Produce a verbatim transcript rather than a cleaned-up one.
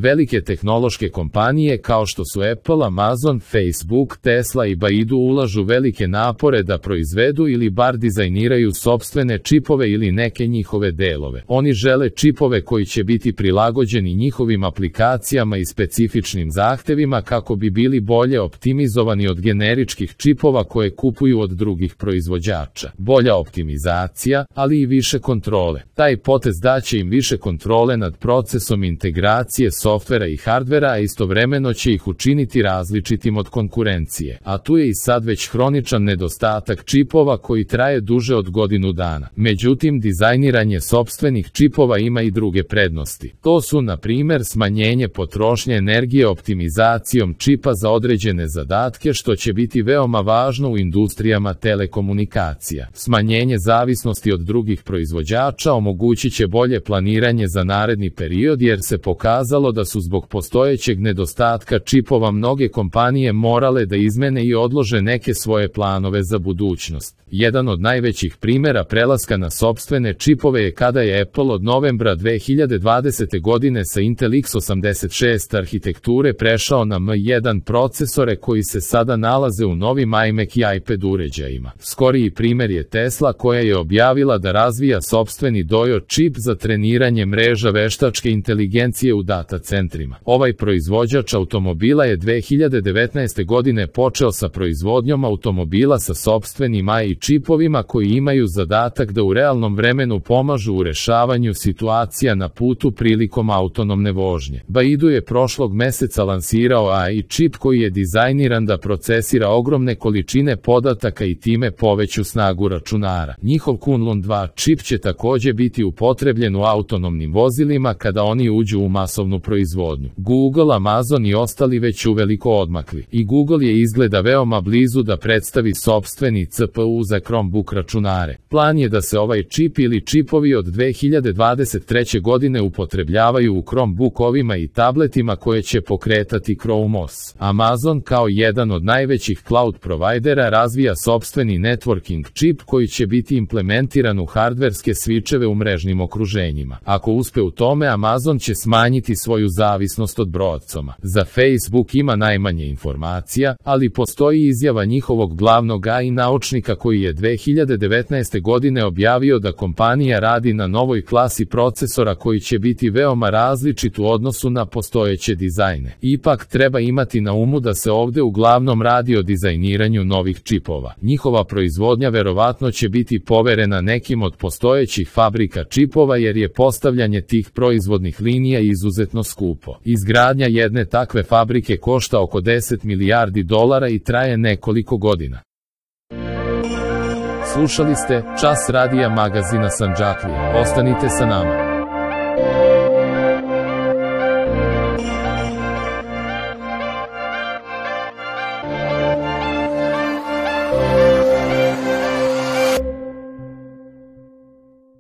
Velike tehnološke kompanije kao što su Apple, Amazon, Facebook, Tesla i Baidu ulažu velike napore da proizvedu ili bar dizajniraju sopstvene čipove ili neke njihove delove. Oni žele čipove koji će biti prilagođeni njihovim aplikacijama i specifičnim zahtevima kako bi bili bolje optimizovani od generičkih čipova koje kupuju od drugih proizvođača. Bolja optimizacija, ali i više kontrole. Taj potez daće im više kontrole nad procesom integracije softvera i hardvera, a istovremeno će ih učiniti različitim od konkurencije. A tu je i sad već hroničan nedostatak čipova koji traje duže od godinu dana. Međutim, dizajniranje sopstvenih čipova ima i druge prednosti. To su, na primjer, smanjenje potrošnje energije optimizacijom čipa za određene zadatke, što će biti veoma važno u industrijama telekomunikacija. Smanjenje zavisnosti od drugih proizvođača omogućit će bolje planiranje za naredni period, jer se pokazalo da su zbog postojećeg nedostatka čipova mnoge kompanije morale da izmene i odlože neke svoje planove za budućnost. Jedan od najvećih primjera prelaska na sopstvene čipove je kada je Apple od novembra dve hiljade dvadesete godine sa Intel iks osamdeset šest arhitekture prešao na em jedan procesore koji se sada nalaze u novim iMac i iPad uređajima. Skoriji primjer je Tesla koja je objavila da razvija sopstveni Dojo čip za treniranje mreža veštačke inteligencije u data centrima. Ovaj proizvođač automobila je dve hiljade devetnaeste godine počeo sa proizvodnjom automobila sa sopstvenim A I čipovima koji imaju zadatak da u realnom vremenu pomažu u rešavanju situacija na putu prilikom autonomne vožnje. Baidu je prošlog meseca lansirao A I čip koji je dizajniran da procesira ogromne količine podataka i time poveću snagu računara. Njihov Kunlun dva čip će također biti upotrebljen u autonomnim vozilima kada oni uđu u masovnu proizvodnju. Google, Amazon i ostali već uveliko odmakli. I Google je izgleda veoma blizu da predstavi sopstveni C P U za Chromebook računare. Plan je da se ovaj čip ili čipovi od dve hiljade dvadeset treće godine upotrebljavaju u Chromebookovima i tabletima koje će pokretati Chrome O S. Amazon kao jedan od najvećih cloud provajdera razvija sopstveni networking čip koji će biti implementiran u hardverske svičeve u mrežnim okruženjima. Ako uspe u tome, Amazon će smanjiti svoju zavisnost od Broadcoma. Za Facebook ima najmanje informacija, ali postoji izjava njihovog glavnog A I naučnika koji je dve hiljade devetnaeste godine objavio da kompanija radi na novoj klasi procesora koji će biti veoma različit u odnosu na postojeće dizajne. Ipak treba imati na umu da se ovde uglavnom radi o dizajniranju novih čipova. Njihova proizvodnja verovatno će biti poverena nekim od postojećih fabrika čipova jer je postavljanje tih proizvodnih linija izuzetno skupo. Izgradnja jedne takve fabrike košta oko deset milijardi dolara i traje nekoliko godina. Slušali ste Čas radija magazina Sandžaklija. Ostanite sa nama.